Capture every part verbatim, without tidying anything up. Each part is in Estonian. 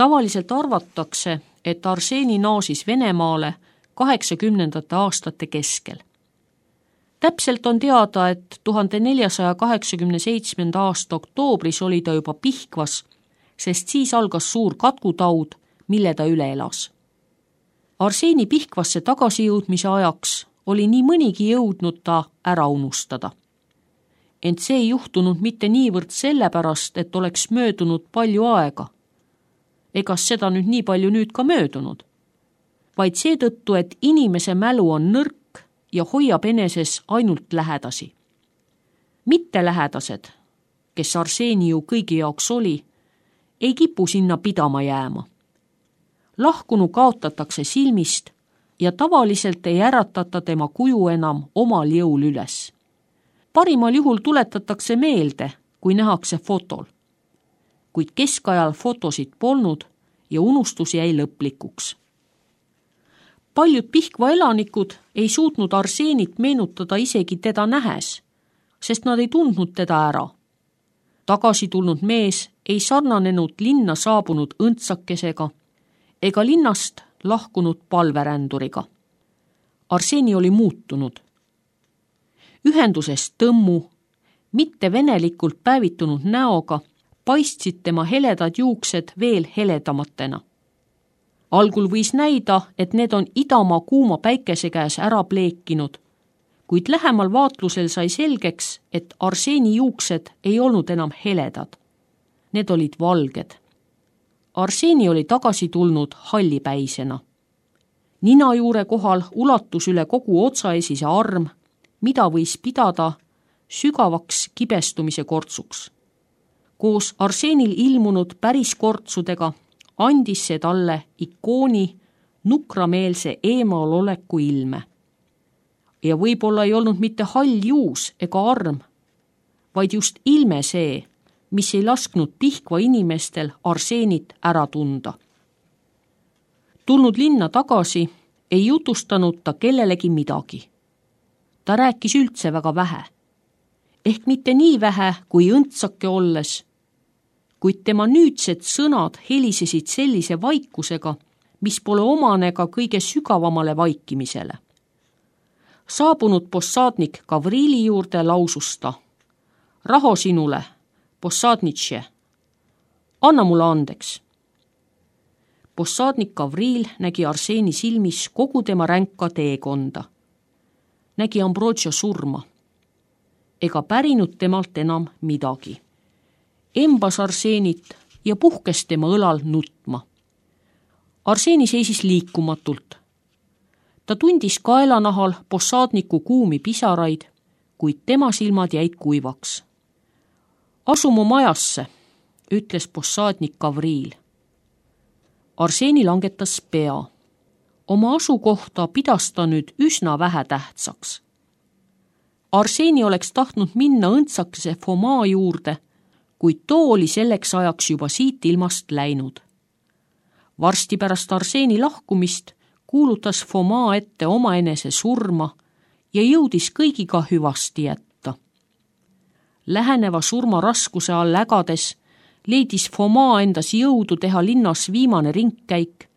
Tavaliselt arvatakse, et Arseni naasis Venemaale kaheksakümnendate aastate keskel. Täpselt on teada, et tuhande neljasaja kaheksakümne seitsmenda aasta oktoobris oli ta juba Pihkvas, sest siis algas suur katkutaud, mille ta üle elas. Arseni Pihkvasse tagasijõudmise ajaks oli nii mõnigi jõudnud ta ära unustada. Ent see ei juhtunud mitte niivõrd sellepärast, et oleks möödunud palju aega. Egas seda nüüd nii palju nüüd ka möödunud, vaid seetõttu, et inimese mälu on nõrk ja hoiab eneses ainult lähedasi. Mitte lähedased, kes Arseni ju kõigi jaoks oli, ei kipu sinna pidama jääma. Lahkunu kaotatakse silmist ja tavaliselt ei äratata tema kuju enam omal jõul üles. Parimal juhul tuletatakse meelde, kui nähakse fotol. Kuid keskajal fotosid polnud ja unustus jäi lõplikuks. Paljud Pihkva elanikud ei suutnud Arsenit meenutada isegi teda nähes, sest nad ei tundnud teda ära. Tagasi tulnud mees ei sarnanenud linna saabunud õndsakesega ega linnast lahkunud palveränduriga. Arseni oli muutunud. Ühendusest tõmmu, mitte venelikult päevitunud näoga, paistsid tema heledad juuksed veel heledamatena. Algul võis näida, et need on idamaa kuuma päikese käes ära pleekinud, kuid lähemal vaatlusel sai selgeks, et Arseni juuksed ei olnud enam heledad. Need olid valged. Arseni oli tagasi tulnud hallipäisena. Nina juure kohal ulatus üle kogu otsaesise arm, mida võis pidada sügavaks kibestumise kortsuks. Koos Arsenil ilmunud päris kortsudega andis see talle ikooni nukrameelse eemaloleku ilme. Ja võib-olla ei olnud mitte hall juus ega arm, vaid just ilme see, mis ei lasknud Pihkva inimestel Arsenit ära tunda. Tulnud linna tagasi ei jutustanud ta kellelegi midagi. Ta rääkis üldse väga vähe. Ehk mitte nii vähe kui õndsake olles, kuid tema nüüdsed sõnad helisesid sellise vaikusega, mis pole omane ka kõige sügavamale vaikimisele. Saabunud possaadnik Gavrili juurde lausus ta: raho sinule, possaadnitše, anna mulle andeks. Possaadnik Gavril nägi Arseni silmis kogu tema ränka teekonda. Nägi Ambrogio surma. Ega pärinud temalt enam midagi. Embas Arsenit ja puhkes tema õlal nutma. Arseni seisis liikumatult. Ta tundis kaelanahal possaadniku kuumi pisaraid, kuid tema silmad jäid kuivaks. Asu mu majasse, ütles possaadnik Gavril. Arseni langetas pea. Oma asukohta pidas ta nüüd üsna vähe tähtsaks. Arseni oleks tahtnud minna õndsakese Foma juurde, kuid too oli selleks ajaks juba siit ilmast läinud. Varsti pärast Arseni lahkumist kuulutas Foma ette omaenese surma ja jõudis kõigiga hüvasti jätta. Läheneva surma raskuse all ägades leidis Foma endas jõudu teha linnas viimane ringkäik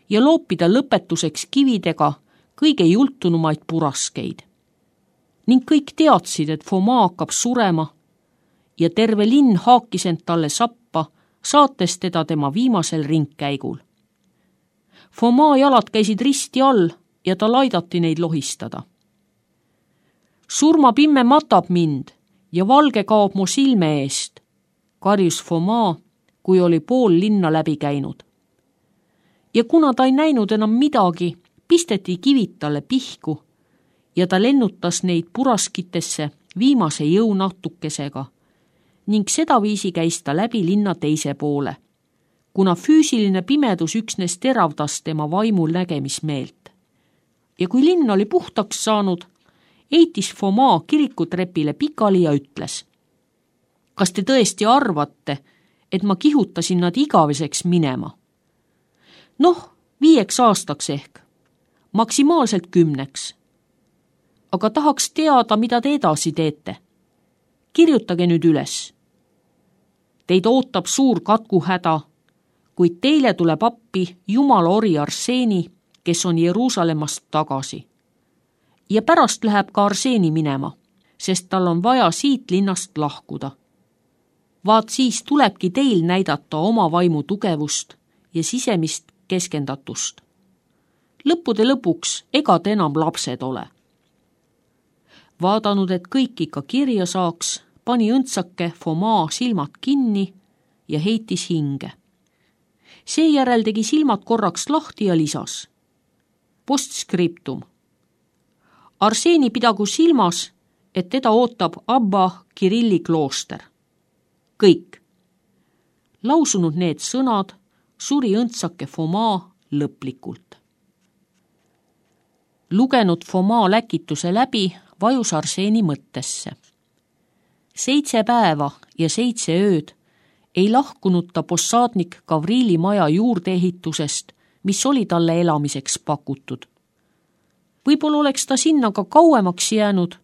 ja loopida lõpetuseks kividega kõige jultunumaid puraskeid. Ning kõik teadsid, et Foma hakkab surema ja terve linn haakis end talle sappa, saates teda tema viimasel ringkäigul. Foma jalad käisid risti all ja tal aidati neid lohistada. Surmapimme matab mind ja valge kaob mu silme eest, karjus Foma, kui oli pool linna läbi käinud. Ja kuna ta ei näinud enam midagi, pisteti kivid talle pihku ja ta lennutas neid puraskitesse viimase jõunatukesega ning sedaviisi käis ta läbi linna teise poole, kuna füüsiline pimedus üksnes teravdas tema vaimul nägemismeelt. Ja kui linn oli puhtaks saanud, eitis Foma kirikutrepile pikali ja ütles: kas te tõesti arvate, et ma kihutasin nad igaveseks minema? Noh, viieks aastaks ehk, maksimaalselt kümneks. Aga tahaks teada, mida te edasi teete. Kirjutage nüüd üles. Teid ootab suur katkuhäda, kuid teile tuleb appi Jumala ori Arseeni, kes on Jeruusalemmast tagasi. Ja pärast läheb ka Arseeni minema, sest tal on vaja siit linnast lahkuda. Vaat siis tulebki teil näidata oma vaimu tugevust ja sisemist keskendatust. Lõppude lõpuks ega te enam lapsed ole. Vaadanud, et kõik ikka kirja saaks, pani õndsake Fomaa silmad kinni ja heitis hinge. Seejärel tegi silmad korraks lahti ja lisas. Postscriptum. Arseeni pidagu silmas, et teda ootab Abba Kirilli klooster. Kõik. Lausunud need sõnad, suri õndsake Fomaa lõplikult. Lugenud Fomaa läkituse läbi, vajus Arseeni mõttesse. Seitse päeva ja seitse ööd ei lahkunud ta possaadnik Gavriili maja juurdeehitusest, mis oli talle elamiseks pakutud. Võib-olla oleks ta sinna ka kauemaks jäänud,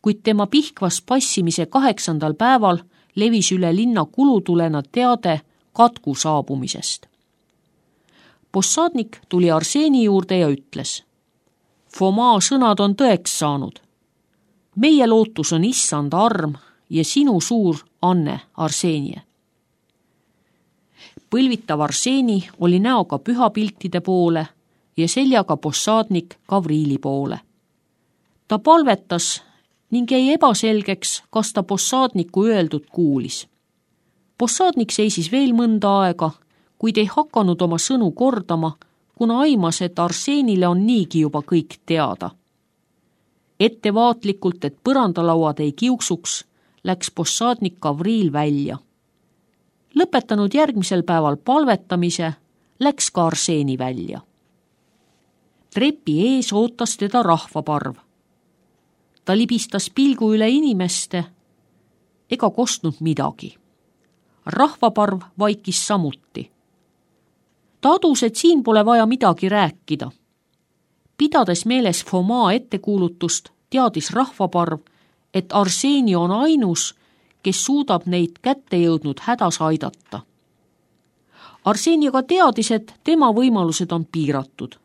kuid tema Pihkvas passimise kaheksandal päeval levis üle linna kulutulena teade katku saabumisest. Possaadnik tuli Arseeni juurde ja ütles: Fomaa sõnad on tõeks saanud. Meie lootus on issand arm ja sinu suur anne, Arseenie. Põlvitav Arseeni oli näoga pühapiltide poole ja seljaga possaadnik Gavriili poole. Ta palvetas ning jäi ebaselgeks, kas ta possaadniku öeldud kuulis. Possaadnik seisis veel mõnda aega, kuid ei hakanud oma sõnu kordama, kuna aimas, et Arseenile on niigi juba kõik teada. Ettevaatlikult, et põrandalauad ei kiuksuks, läks possaadnik Gavriil välja. Lõpetanud järgmisel päeval palvetamise, läks ka Arseeni välja. Trepi ees ootas teda rahvaparv. Ta libistas pilgu üle inimeste ega kostnud midagi. Rahvaparv vaikis samuti. Ta adus, et siin pole vaja midagi rääkida. Pidades meeles Fomaa ettekuulutust, teadis rahvaparv, et Arseeni on ainus, kes suudab neid kätte jõudnud hädas aidata. Arseeni aga teadis, et tema võimalused on piiratud.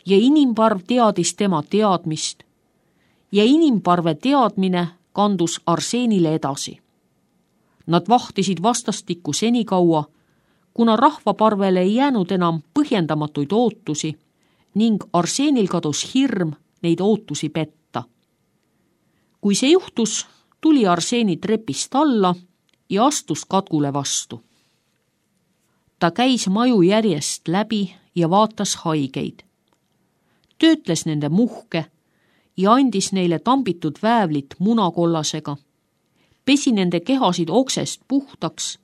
Ja inimparv teadis tema teadmist ja inimparve teadmine kandus Arseenile edasi. Nad vahtisid vastastikku senikaua, kuna rahvaparvele ei jäänud enam põhjendamatuid ootusi ning Arseenil kadus hirm neid ootusi petta. Kui see juhtus, tuli Arseeni trepist alla ja astus katkule vastu. Ta käis maju järjest läbi ja vaatas haigeid. Töötles nende muhke ja andis neile tambitud väävlit munakollasega, pesi nende kehasid oksest puhtaks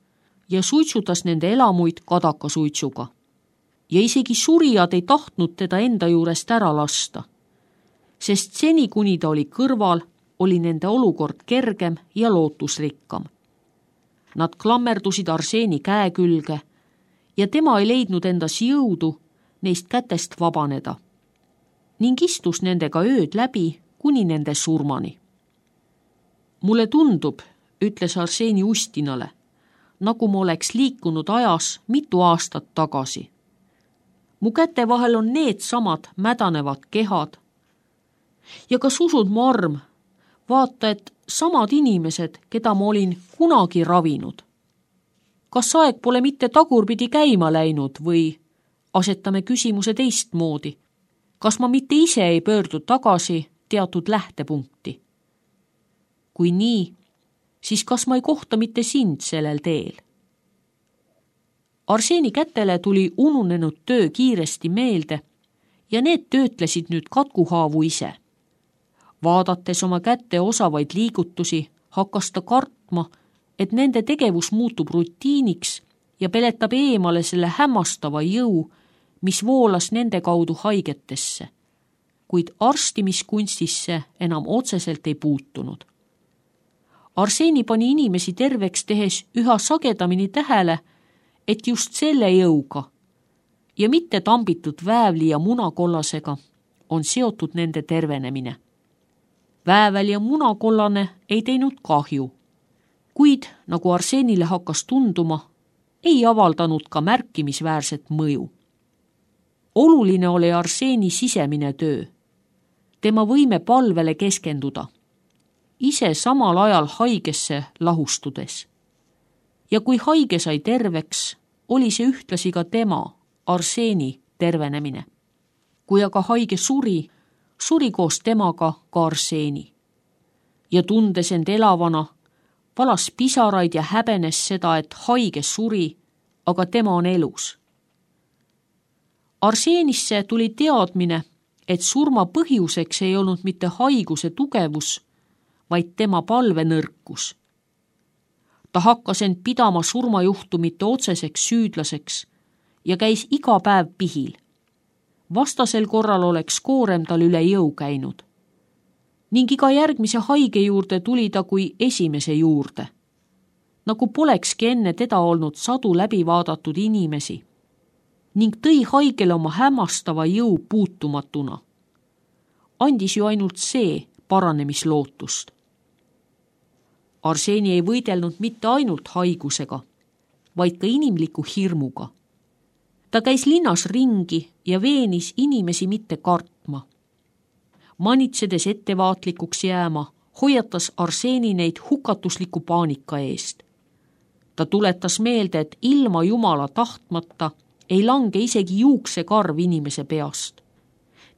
ja suitsutas nende elamuid kadakasuitsuga. Ja isegi surijad ei tahtnud teda enda juurest ära lasta, sest seni, kuni ta oli kõrval, oli nende olukord kergem ja lootusrikkam. Nad klammerdusid Arseeni käe külge ja tema ei leidnud endas jõudu neist kätest vabaneda ning istus nendega ööd läbi kuni nende surmani. Mulle tundub, ütles Arseeni Ustinale, nagu ma oleks liikunud ajas mitu aastat tagasi. Mu käte vahel on need samad mädanevad kehad. Ja kas usud mu arm, vaata, et samad inimesed, keda ma olin kunagi ravinud. Kas aeg pole mitte tagurpidi käima läinud või asetame küsimuse teistmoodi? Kas ma mitte ise ei pöördu tagasi teatud lähtepunkti? Kui nii, siis kas ma ei kohta mitte sind sellel teel? Arseeni kätele tuli ununenud töö kiiresti meelde ja need töötlesid nüüd katkuhaavu ise. Vaadates oma kätte osavaid liigutusi, hakkas ta kartma, et nende tegevus muutub rutiiniks ja peletab eemale selle hämmastava jõu, mis voolas nende kaudu haigetesse, kuid arstimiskunstisse enam otseselt ei puutunud. Arseeni pani inimesi terveks tehes üha sagedamini tähele, et just selle jõuga ja mitte tambitud väävli ja munakollasega on seotud nende tervenemine. Väävel ja munakollane ei teinud kahju, kuid nagu Arseenile hakkas tunduma, ei avaldanud ka märkimisväärset mõju. Oluline oli Arseeni sisemine töö, tema võime palvele keskenduda, ise samal ajal haigesse lahustudes. Ja kui haige sai terveks, oli see ühtlasi ka tema, Arseeni tervenemine. Kui aga haige suri, suri koos temaga ka Arseeni. Ja tundes end elavana, valas pisaraid ja häbenes seda, et haige suri, aga tema on elus. Arseenisse tuli teadmine, et surma põhjuseks ei olnud mitte haiguse tugevus, vaid tema palvenõrkus. Ta hakkas end pidama surmajuhtumite otseseks süüdlaseks ja käis iga päev pihil. Vastasel korral oleks koorem tal üle jõu käinud. Ning iga järgmise haige juurde tuli ta kui esimese juurde. Nagu polekski enne teda olnud sadu läbi vaadatud inimesi. Ning tõi haigele oma hämmastava jõu puutumatuna. Andis ju ainult see paranemislootust. Arseeni ei võidelnud mitte ainult haigusega, vaid ka inimliku hirmuga. Ta käis linnas ringi ja veenis inimesi mitte kartma. Manitsedes ettevaatlikuks jääma, hoiatas Arseeni neid hukatusliku paanika eest. Ta tuletas meelde, et ilma Jumala tahtmata ei lange isegi juuksekarv inimese peast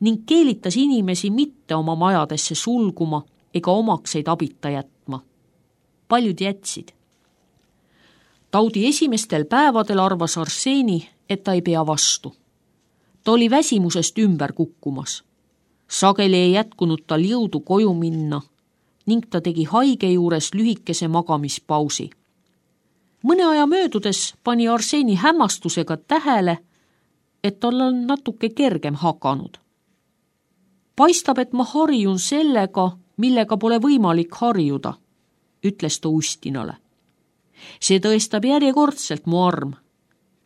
ning keelitas inimesi mitte oma majadesse sulguma ega omakseid abita jätma. Paljud jätsid. Taudi esimestel päevadel arvas Arseeni, et ta ei pea vastu. Ta oli väsimusest ümber kukkumas. Sageli ei jätkunud tal jõudu koju minna ning ta tegi haige juures lühikese magamispausi. Mõne aja möödudes pani Arseeni hämmastusega tähele, et tal on natuke kergem hakanud. Paistab, et ma harjun sellega, millega pole võimalik harjuda, ütles ta Ustinale. See tõestab järjekordselt mu arm,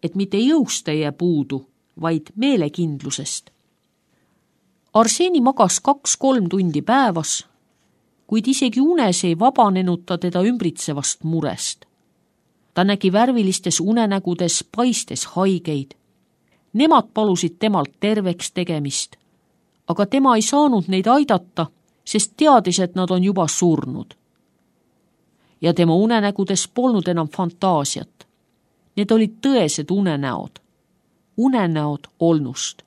et mitte jõust ei jää puudu, vaid meelekindlusest. Arseeni magas kaks-kolm tundi päevas, kuid isegi unes ei vabanenud ta teda ümbritsevast murest. Ta nägi värvilistes unenägudes paistes haigeid. Nemad palusid temalt terveks tegemist, aga tema ei saanud neid aidata, sest teadis, et nad on juba surnud. Ja tema unenägudes polnud enam fantaasiat. Need olid tõesed unenäod. Unenäod olnust.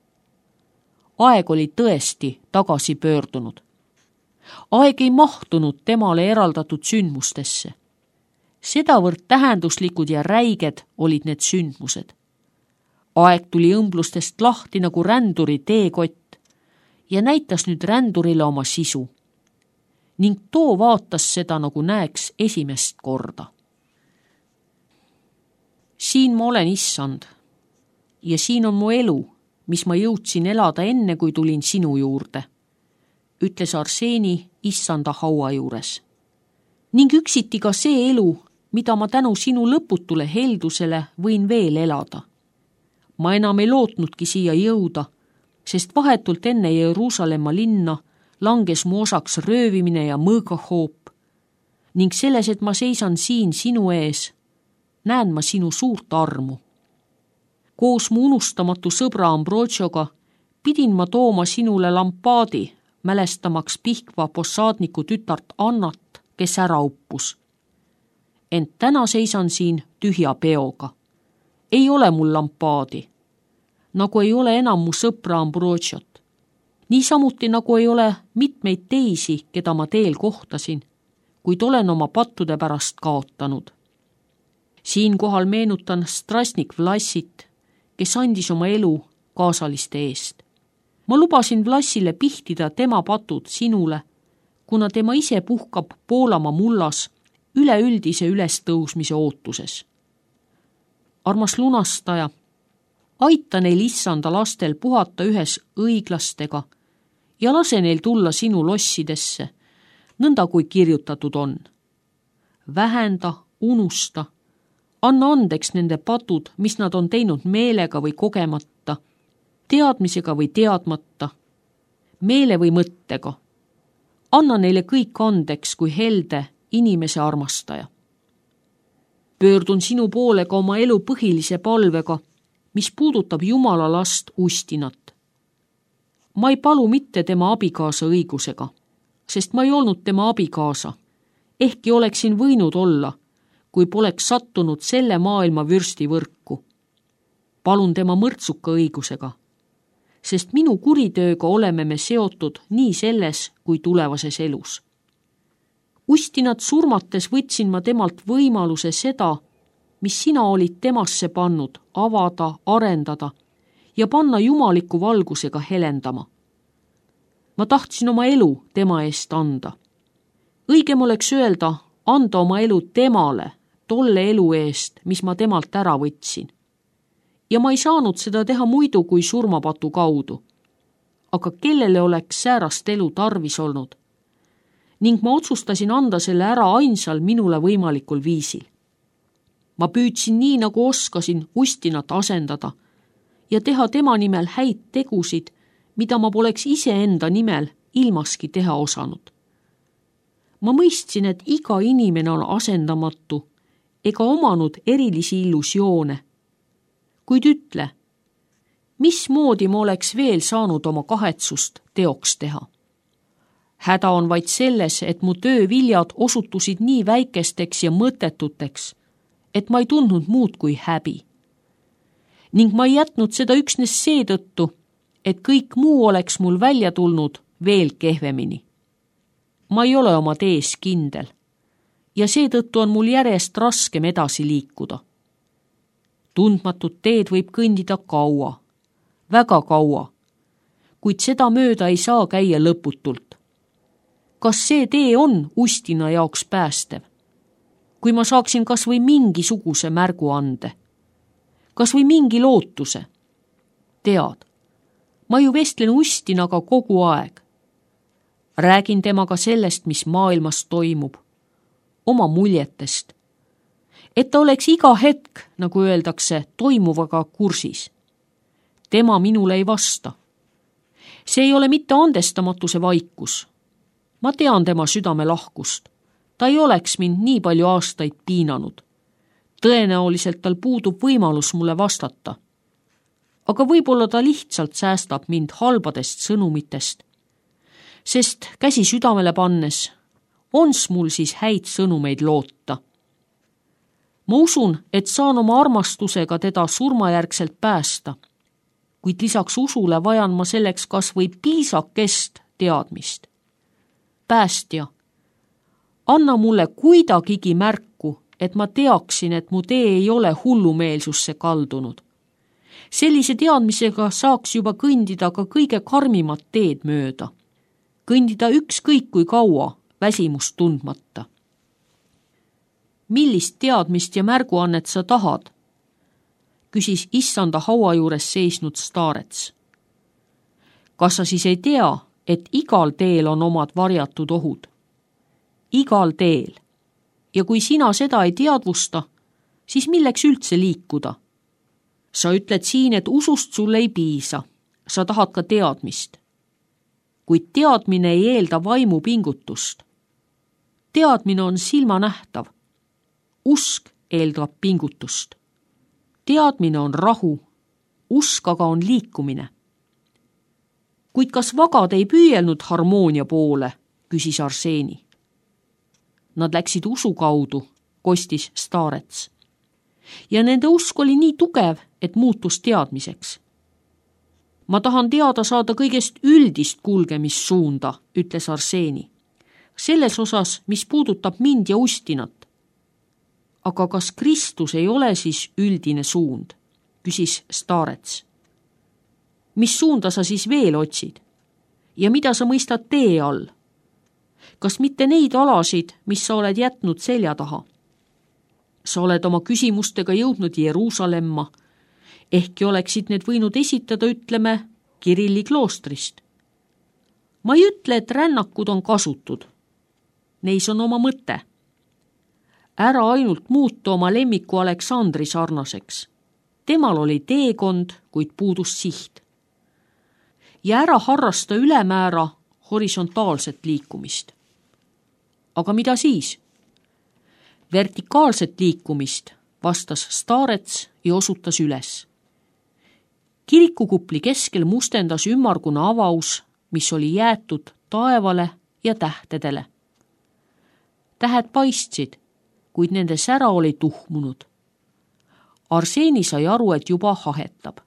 Aeg oli tõesti tagasi pöördunud. Aeg ei mahtunud temale eraldatud sündmustesse. Sedavõrd tähenduslikud ja räiged olid need sündmused. Aeg tuli õmblustest lahti nagu ränduri teekott ja näitas nüüd rändurile oma sisu. Ning too vaatas seda, nagu näeks esimest korda. Siin ma olen issand ja siin on mu elu, mis ma jõudsin elada enne, kui tulin sinu juurde, ütles Arseeni issanda haua juures. Ning üksiti ka see elu, mida ma tänu sinu lõputule heldusele võin veel elada. Ma enam ei lootnudki siia jõuda, sest vahetult enne Jeruusalemma linna langes mu osaks röövimine ja mõõgahoop ning selles, et ma seisan siin sinu ees, näen ma sinu suurt armu. Koos mu unustamatu sõbra Ambrotsioga pidin ma tooma sinule lampaadi, mälestamaks Pihkva possaadniku tütart Annat, kes ära uppus. Ent täna seisan siin tühja peoga. Ei ole mul lampaadi, nagu ei ole enam mu sõpra Ambrotšot. Niisamuti nagu ei ole mitmeid teisi, keda ma teel kohtasin, kuid olen oma pattude pärast kaotanud. Siinkohal meenutan Strasnik Vlassit, kes andis oma elu kaasaliste eest. Ma lubasin Vlassile pihtida tema patud sinule, kuna tema ise puhkab Poolamaa mullas üleüldise ülestõusmise ootuses. Armas lunastaja, aita neil issanda lastel puhata ühes õiglastega ja lase neil tulla sinu lossidesse, nõnda kui kirjutatud on. Vähenda, unusta, anna andeks nende patud, mis nad on teinud meelega või kogemata, teadmisega või teadmata, meele või mõttega. Anna neile kõik andeks kui helde inimese armastaja. pöördun sinu poole ka oma elu põhilise palvega, mis puudutab Jumala last Ustinat. Ma ei palu mitte tema abikaasa õigusega, sest ma ei olnud tema abikaasa, ehkki oleksin võinud olla, kui poleks sattunud selle maailma vürstivõrku. Palun tema mõrtsuka õigusega, sest minu kuritööga oleme me seotud nii selles kui tulevases elus. Ustinat surmates võtsin ma temalt võimaluse seda, mis sina olid temasse pannud, avada, arendada ja panna jumaliku valgusega helendama. Ma tahtsin oma elu tema eest anda. Õigem oleks öelda, anda oma elu temale, tolle elu eest, mis ma temalt ära võtsin. Ja ma ei saanud seda teha muidu kui surmapatu kaudu. Aga kellele oleks säärast elu tarvis olnud? Ning ma otsustasin anda selle ära ainsal minule võimalikul viisil. Ma püüdsin nii, nagu oskasin Ustinat asendada ja teha tema nimel häid tegusid, mida ma poleks iseenda nimel ilmaski teha osanud. Ma mõistsin, et iga inimene on asendamatu ega omanud erilisi illusioone. Kuid ütle, mismoodi ma oleks veel saanud oma kahetsust teoks teha? Häda on vaid selles, et mu tööviljad osutusid nii väikesteks ja mõttetuteks, et ma ei tundnud muud kui häbi. Ning ma ei jätnud seda üksnes seetõttu, et kõik muu oleks mul välja tulnud veel kehvemini. Ma ei ole oma tees kindel ja seetõttu on mul järjest raskem edasi liikuda. Tundmatut teed võib kõndida kaua, väga kaua, kuid seda mööda ei saa käia lõputult. Kas see tee on Ustina jaoks päästev? Kui ma saaksin kas või mingisuguse märgu ande, kas või mingi lootuse. Tead, ma ju vestlen Ustinaga kogu aeg. Räägin temaga sellest, mis maailmas toimub, oma muljetest, et ta oleks iga hetk, nagu öeldakse, toimuvaga kursis. Tema minule ei vasta. See ei ole mitte andestamatuse vaikus. Ma tean tema südame lahkust. Ta ei oleks mind nii palju aastaid piinanud. Tõenäoliselt tal puudub võimalus mulle vastata. Aga võib-olla ta lihtsalt säästab mind halbadest sõnumitest. Sest käsi südamele pannes, ons mul siis häid sõnumeid loota. Ma usun, et saan oma armastusega teda surmajärgselt päästa, kuid lisaks usule vajan ma selleks kas või piisakest teadmist. Päästja, anna mulle kuidagigi märku, et ma teaksin, et mu tee ei ole hullumeelsusse kaldunud. Sellise teadmisega saaks juba kõndida ka kõige karmimat teed mööda. Kõndida ükskõik kui kaua, väsimust tundmata. Millist teadmist ja märguannet sa tahad? Küsis issanda haua juures seisnud staarets. Kas sa siis ei tea, et igal teel on omad varjatud ohud? Igal teel. Ja kui sina seda ei teadvusta, siis milleks üldse liikuda? Sa ütled siin, et usust sulle ei piisa. Sa tahad ka teadmist. Kuid teadmine ei eelda vaimu pingutust. Teadmine on silmanähtav. Usk eeldab pingutust. Teadmine on rahu. Usk aga on liikumine. Kuid kas vagad ei püüelnud harmoonia poole, küsis Arseeni. Nad läksid usu kaudu, kostis staarets. Ja nende usk oli nii tugev, et muutus teadmiseks. Ma tahan teada saada kõigest üldist kulgemissuunda, ütles Arseeni. Selles osas, mis puudutab mind ja Ustinat. Aga kas Kristus ei ole siis üldine suund, küsis staarets. Mis suunda sa siis veel otsid? Ja mida sa mõistad tee all? Kas mitte neid alasid, mis sa oled jätnud selja taha? Sa oled oma küsimustega jõudnud Jeruusalemma, ehkki oleksid need võinud esitada, ütleme, Kirilli kloostrist. Ma ei ütle, et rännakud on kasutud. Neis on oma mõte. Ära ainult muuta oma lemmiku Aleksandri sarnaseks. Temal oli teekond, kuid puudus siht. Ja ära harrasta ülemäära horisontaalset liikumist. Aga mida siis? Vertikaalset liikumist, vastas Starets ja osutas üles. Kirikukupli keskel mustendas ümmarguna avaus, mis oli jäetud taevale ja tähtedele. Tähed paistsid, kuid nende sära oli tuhmunud. Arseeni sai aru, et juba hahetab.